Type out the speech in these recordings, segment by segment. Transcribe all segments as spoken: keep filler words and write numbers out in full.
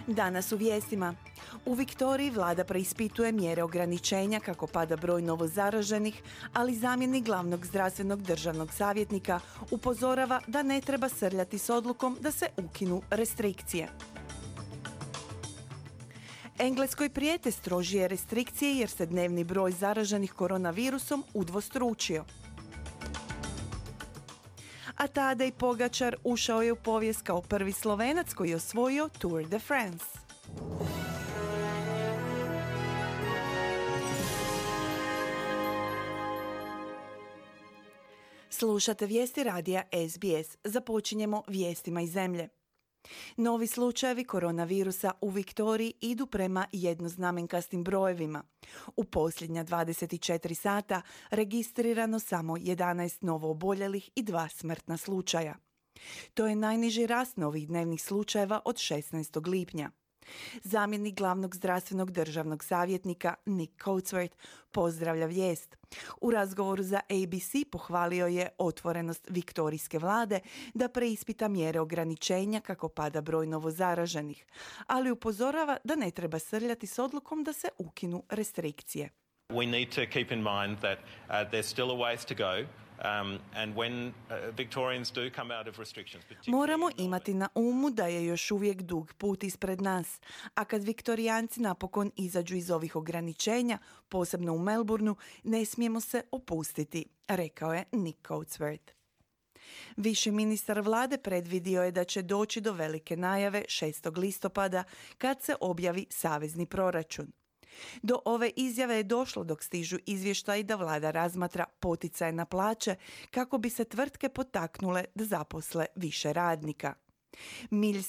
Danas u vijestima. U Viktoriji vlada preispituje mjere ograničenja kako pada broj novozaraženih, ali zamjenik glavnog zdravstvenog državnog savjetnika upozorava da ne treba srljati s odlukom da se ukinu restrikcije. Engleskoj prijete strožije restrikcije jer se dnevni broj zaraženih koronavirusom udvostručio. A Tadej Pogačar ušao je u povijest kao prvi Slovenac koji je osvojio Tour de France. Slušate vijesti radija S B S. Započinjemo vijestima iz zemlje. Novi slučajevi koronavirusa u Viktoriji idu prema jednoznamenkastim brojevima. U posljednja dvadeset četiri sata registrirano samo jedanaest novooboljelih i dva smrtna slučaja. To je najniži rast novih dnevnih slučajeva od šesnaestog lipnja. Zamjenik glavnog zdravstvenog državnog savjetnika Nick Coatsworth pozdravlja vijest. U razgovoru za A B C pohvalio je otvorenost viktorijske vlade da preispita mjere ograničenja kako pada broj novozaraženih, ali upozorava da ne treba srljati s odlukom da se ukinu restrikcije. We need to keep in mind that uh, there's still a ways to go. Um, and when, uh, Victorians do come out of restrictions, Moramo imati na umu da je još uvijek dug put ispred nas, a kad Viktorijanci napokon izađu iz ovih ograničenja, posebno u Melbourneu, ne smijemo se opustiti, rekao je Nick Coatsworth. Viši ministar vlade predvidio je da će doći do velike najave šestog listopada kad se objavi savezni proračun. Do ove izjave je došlo dok stižu izvještaji da vlada razmatra poticaje na plaće kako bi se tvrtke potaknule da zaposle više radnika.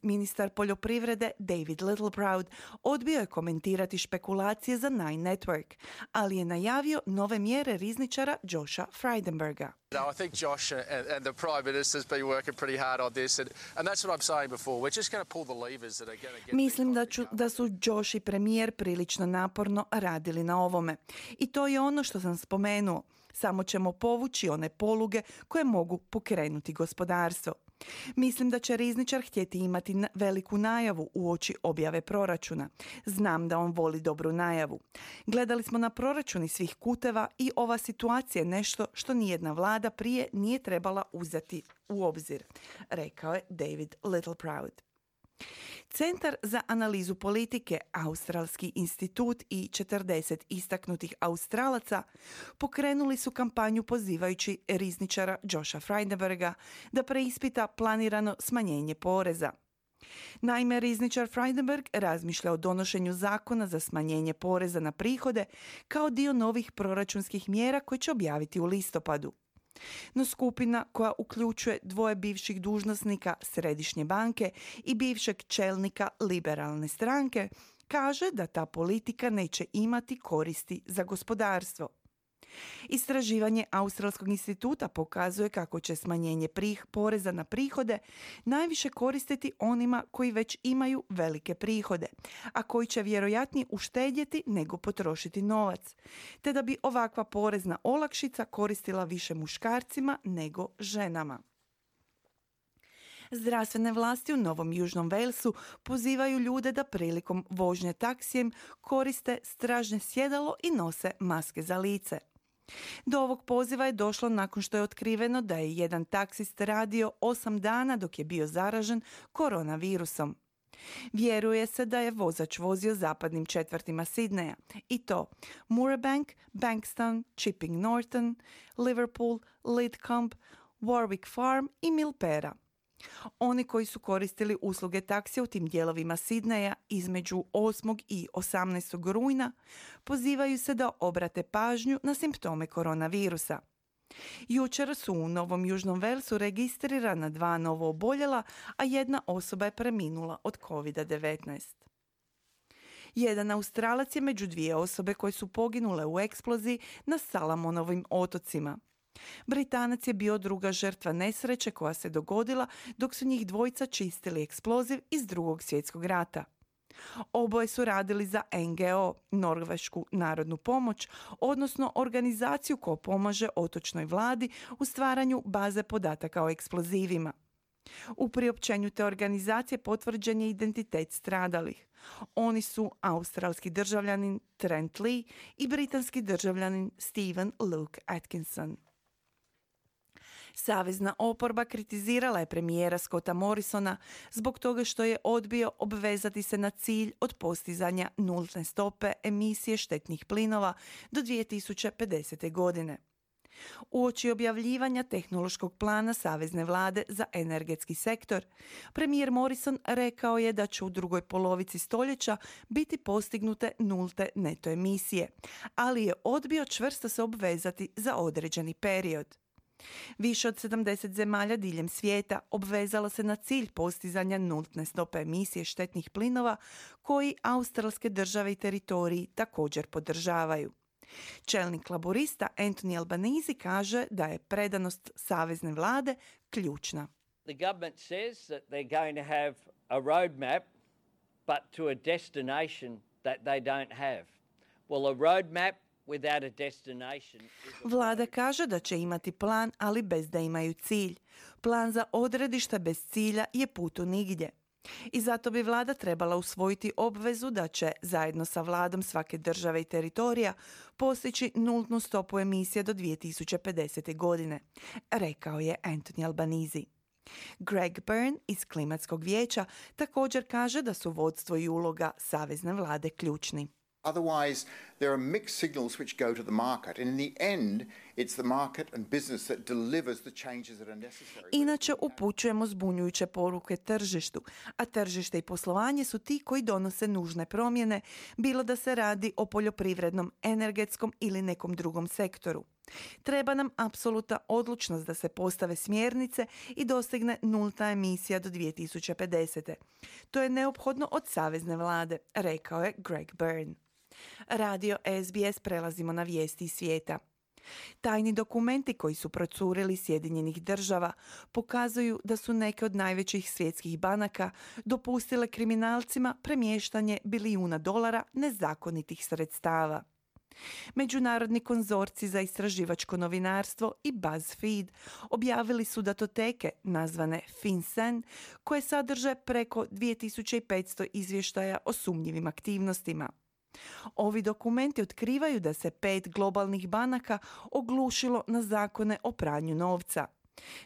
Ministar poljoprivrede David Littleproud odbio je komentirati špekulacije za Nine Network, ali je najavio nove mjere rizničara Josha Frydenberga. No, I think Josh and, and the Prime Minister's been working pretty hard on this, and, and that's what I'm saying before. We're just going to pull the levers that are going to get. Mislim da, ću, da su Josh i premijer prilično naporno radili na ovome. I to je ono što sam spomenuo. Samo ćemo povući one poluge koje mogu pokrenuti gospodarstvo. Mislim da će rizničar htjeti imati veliku najavu uoči objave proračuna. Znam da on voli dobru najavu. Gledali smo na proračuni svih kuteva i ova situacija je nešto što nijedna vlada prije nije trebala uzeti u obzir, rekao je David Littleproud. Centar za analizu politike, Australski institut i četrdeset istaknutih Australaca pokrenuli su kampanju pozivajući rizničara Josha Frydenberga da preispita planirano smanjenje poreza. Naime, rizničar Frydenberg razmišlja o donošenju zakona za smanjenje poreza na prihode kao dio novih proračunskih mjera koje će objaviti u listopadu. No skupina koja uključuje dvoje bivših dužnosnika Središnje banke i bivšeg čelnika liberalne stranke kaže da ta politika neće imati koristi za gospodarstvo. Istraživanje Australskog instituta pokazuje kako će smanjenje prih, poreza na prihode najviše koristiti onima koji već imaju velike prihode, a koji će vjerojatnije uštedjeti nego potrošiti novac, te da bi ovakva porezna olakšica koristila više muškarcima nego ženama. Zdravstvene vlasti u Novom Južnom Walesu pozivaju ljude da prilikom vožnje taksijem koriste stražnje sjedalo i nose maske za lice. Do ovog poziva je došlo nakon što je otkriveno da je jedan taksist radio osam dana dok je bio zaražen koronavirusom. Vjeruje se da je vozač vozio zapadnim četvrtima Sidneja i to Moorabank, Bankstown, Chipping Norton, Liverpool, Lidcombe, Warwick Farm i Milpera. Oni koji su koristili usluge taksija u tim dijelovima Sidneja između osmog i osamnaestog rujna pozivaju se da obrate pažnju na simptome koronavirusa. Jučer su u Novom Južnom Walesu registrirana dva novooboljela, a jedna osoba je preminula od kovid devetnaest. Jedan Australac je među dvije osobe koje su poginule u eksploziji na Salamonovim otocima. Britanac je bio druga žrtva nesreće koja se dogodila dok su njih dvojica čistili eksploziv iz Drugog svjetskog rata. Oboje su radili za N G O, Norvešku narodnu pomoć, odnosno organizaciju koja pomaže otočnoj vladi u stvaranju baze podataka o eksplozivima. U priopćenju te organizacije potvrđen je identitet stradalih. Oni su australski državljanin Trent Lee i britanski državljanin Stephen Luke Atkinson. Savezna oporba kritizirala je premijera Scotta Morrisona zbog toga što je odbio obvezati se na cilj od postizanja nulte stope emisije štetnih plinova do dvije tisuće pedesete. godine. Uoči objavljivanja tehnološkog plana Savezne vlade za energetski sektor, premijer Morrison rekao je da će u drugoj polovici stoljeća biti postignute nulte neto emisije, ali je odbio čvrsto se obvezati za određeni period. Više od sedamdeset zemalja diljem svijeta obvezalo se na cilj postizanja nulte stope emisije štetnih plinova koji australske države i teritoriji također podržavaju. Čelnik laborista Anthony Albanese kaže da je predanost savezne vlade ključna. The government says that they're going to have a roadmap, but to a destination that they don't have. Well, a roadmap without a destination is a... Vlada kaže da će imati plan, ali bez da imaju cilj. Plan za odredište bez cilja je put u nigdje. I zato bi vlada trebala usvojiti obvezu da će, zajedno sa vladom svake države i teritorija, postići nultnu stopu emisije do dvije tisuće pedesete. godine, rekao je Anthony Albanese. Greg Byrne iz Klimatskog vijeća također kaže da su vodstvo i uloga savezne vlade ključni. Otherwise, there are mixed signals which go to the market, and in the end, it's the market and business that delivers the changes that are necessary. Inače upućujemo zbunjujuće poruke tržištu, a tržište i poslovanje su ti koji donose nužne promjene, bilo da se radi o poljoprivrednom, energetskom ili nekom drugom sektoru. Treba nam apsolutna odlučnost da se postave smjernice i dostigne nulta emisija do dvije tisuće pedesete. To je neophodno od savezne vlade, rekao je Greg Byrne. Radio S B S prelazimo na vijesti iz svijeta. Tajni dokumenti koji su procurili Sjedinjenih država pokazuju da su neke od najvećih svjetskih banaka dopustile kriminalcima premještanje bilijuna dolara nezakonitih sredstava. Međunarodni konzorci za istraživačko novinarstvo i BuzzFeed objavili su datoteke nazvane FinCEN koje sadrže preko dvije tisuće petsto izvještaja o sumnjivim aktivnostima. Ovi dokumenti otkrivaju da se pet globalnih banaka oglušilo na zakone o pranju novca.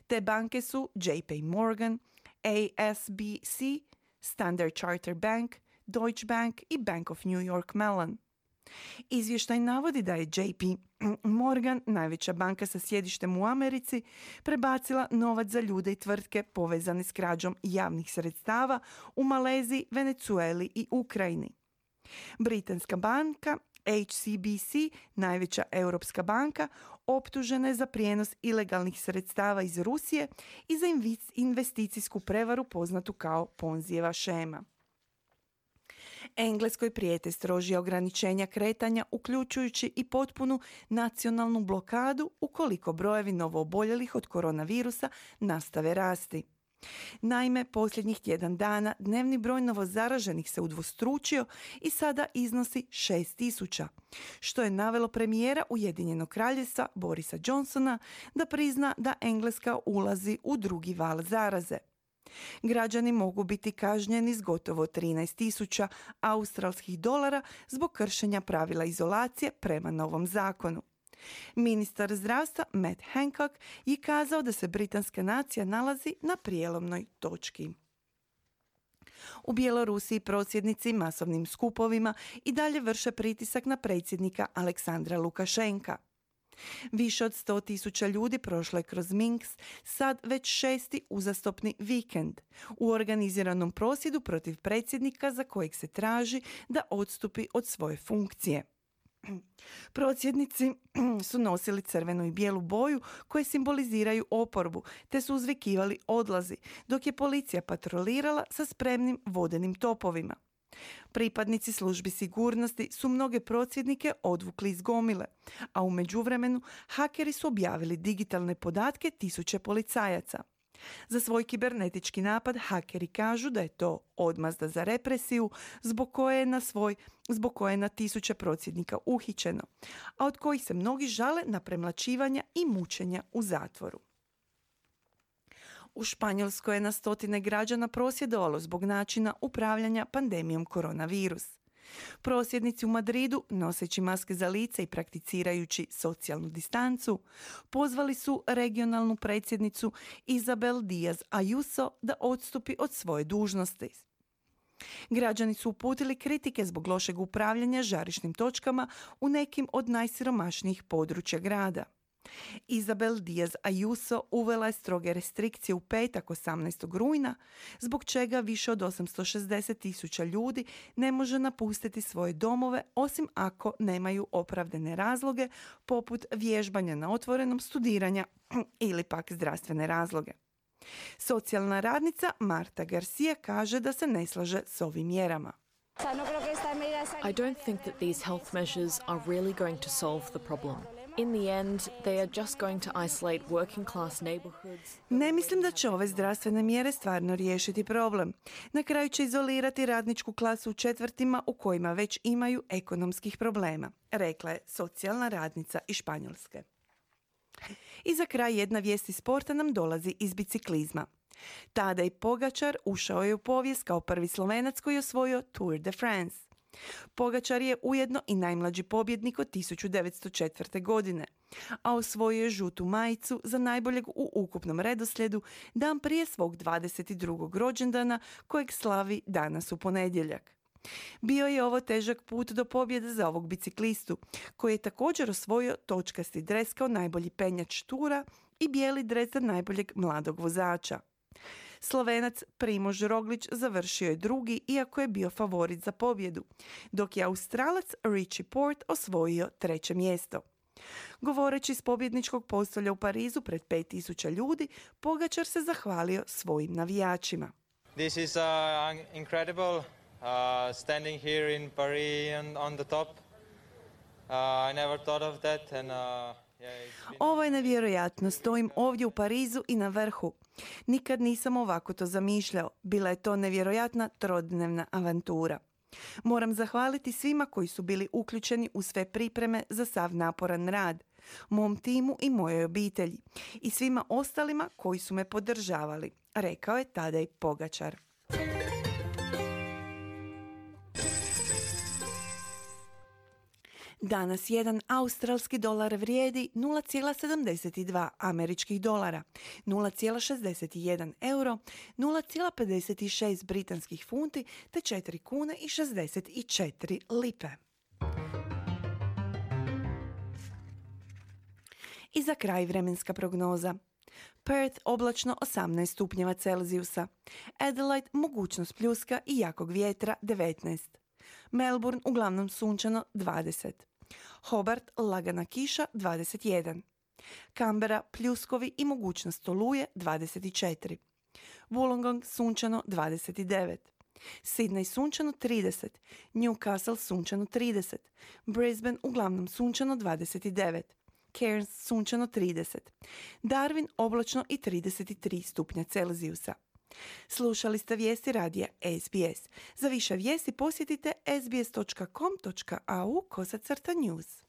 Te banke su J P Morgan, A S B C, Standard Chartered Bank, Deutsche Bank i Bank of New York Mellon. Izvještaj navodi da je J P Morgan, najveća banka sa sjedištem u Americi, prebacila novac za ljude i tvrtke povezane s krađom javnih sredstava u Maleziji, Venezueli i Ukrajini. Britanska banka H S B C, najveća europska banka, optužena je za prijenos ilegalnih sredstava iz Rusije i za investicijsku prevaru poznatu kao Ponzijeva šema. Engleskoj prijete strožija ograničenja kretanja, uključujući i potpunu nacionalnu blokadu ukoliko brojevi novooboljelih od koronavirusa nastave rasti. Naime, posljednjih tjedan dana dnevni broj novozaraženih se udvostručio i sada iznosi šest tisuća, što je navelo premijera Ujedinjenog kraljevstva Borisa Johnsona da prizna da Engleska ulazi u drugi val zaraze. Građani mogu biti kažnjeni s gotovo trinaest tisuća australskih dolara zbog kršenja pravila izolacije prema novom zakonu. Ministar zdravstva Matt Hancock je kazao da se britanska nacija nalazi na prijelomnoj točki. U Bjelorusiji prosvjednici masovnim skupovima i dalje vrše pritisak na predsjednika Aleksandra Lukašenka. Više od sto tisuća ljudi prošlo je kroz Minsk, sad već šesti uzastopni vikend, u organiziranom prosvjedu protiv predsjednika za kojeg se traži da odstupi od svoje funkcije. Prosvjednici su nosili crvenu i bijelu boju koje simboliziraju oporbu, te su uzvikivali odlazi, dok je policija patrolirala sa spremnim vodenim topovima. Pripadnici službi sigurnosti su mnoge prosvjednike odvukli iz gomile, a u međuvremenu hakeri su objavili digitalne podatke tisuće policajaca. Za svoj kibernetički napad hakeri kažu da je to odmazda za represiju zbog koje je na svoj, zbog koje je na tisuće prosvjednika uhićeno, a od kojih se mnogi žale na premlaćivanja i mučenja u zatvoru. U Španjolskoj je na stotine građana prosvjedovalo zbog načina upravljanja pandemijom koronavirus. Prosvjednici u Madridu, noseći maske za lice i prakticirajući socijalnu distancu, pozvali su regionalnu predsjednicu Isabel Díaz Ayuso da odstupi od svoje dužnosti. Građani su uputili kritike zbog lošeg upravljanja žarišnim točkama u nekim od najsiromašnijih područja grada. Isabel Díaz Ayuso uvela je stroge restrikcije u petak osamnaestog rujna, zbog čega više od osamsto šezdeset tisuća ljudi ne može napustiti svoje domove osim ako nemaju opravdane razloge poput vježbanja na otvorenom, studiranja ili pak zdravstvene razloge. Socijalna radnica Marta Garcia kaže da se ne slaže s ovim mjerama. I don't think that these health measures are really going to solve the problem. In the end, they are just going to isolate working class neighborhoods. Ne mislim da će ove zdravstvene mjere stvarno riješiti problem. Na kraju će izolirati radničku klasu u četvrtima u kojima već imaju ekonomskih problema, rekla je socijalna radnica iz Španjolske. I za kraj jedna vijest iz sporta nam dolazi iz biciklizma. Tadej Pogačar ušao je u povijest kao prvi Slovenac koji je osvojio Tour de France. Pogačar je ujedno i najmlađi pobjednik od tisuću devetsto četvrte. godine, a osvojio je žutu majicu za najboljeg u ukupnom redoslijedu dan prije svog dvadeset drugog rođendana kojeg slavi danas u ponedjeljak. Bio je ovo težak put do pobjede za ovog biciklistu, koji je također osvojio točkasti dres kao najbolji penjač tura i bijeli dres za najboljeg mladog vozača. Slovenac Primož Roglič završio je drugi, iako je bio favorit za pobjedu, dok je Australac Richie Porte osvojio treće mjesto. Govoreći s pobjedničkog postolja u Parizu pred pet tisuća ljudi, Pogačar se zahvalio svojim navijačima. This is uh, incredible. Uh, standing here in Paris and on the top. Uh, I never thought of that and uh, yeah, it's been... Ovo je nevjerojatno, stojim ovdje u Parizu i na vrhu. Nikad nisam ovako to zamišljao. Bila je to nevjerojatna trodnevna avantura. Moram zahvaliti svima koji su bili uključeni u sve pripreme za sav naporan rad, mom timu i mojoj obitelji i svima ostalima koji su me podržavali, rekao je Tadej Pogačar. Danas jedan australski dolar vrijedi nula zarez sedamdeset dva američkih dolara, nula zarez šezdeset jedan euro, nula zarez pedeset šest britanskih funti te četiri kune i šezdeset četiri lipe. I za kraj vremenska prognoza. Perth oblačno osamnaest stupnjeva Celzijusa, Adelaide mogućnost pljuska i jakog vjetra devetnaest. Melbourne uglavnom sunčano dvadeset. Hobart lagana kiša dvadeset jedan. Canberra pljuskovi i mogućnost oluje dvadeset četiri. Wollongong sunčano dvadeset devet. Sydney sunčano trideset. Newcastle sunčano trideset. Brisbane uglavnom sunčano dvadeset devet. Cairns sunčano trideset. Darwin oblačno i trideset tri stupnja Celzijusa. Slušali ste vijesti radija S B S. Za više vijesti posjetite sbs dot com dot a u kosacrta news.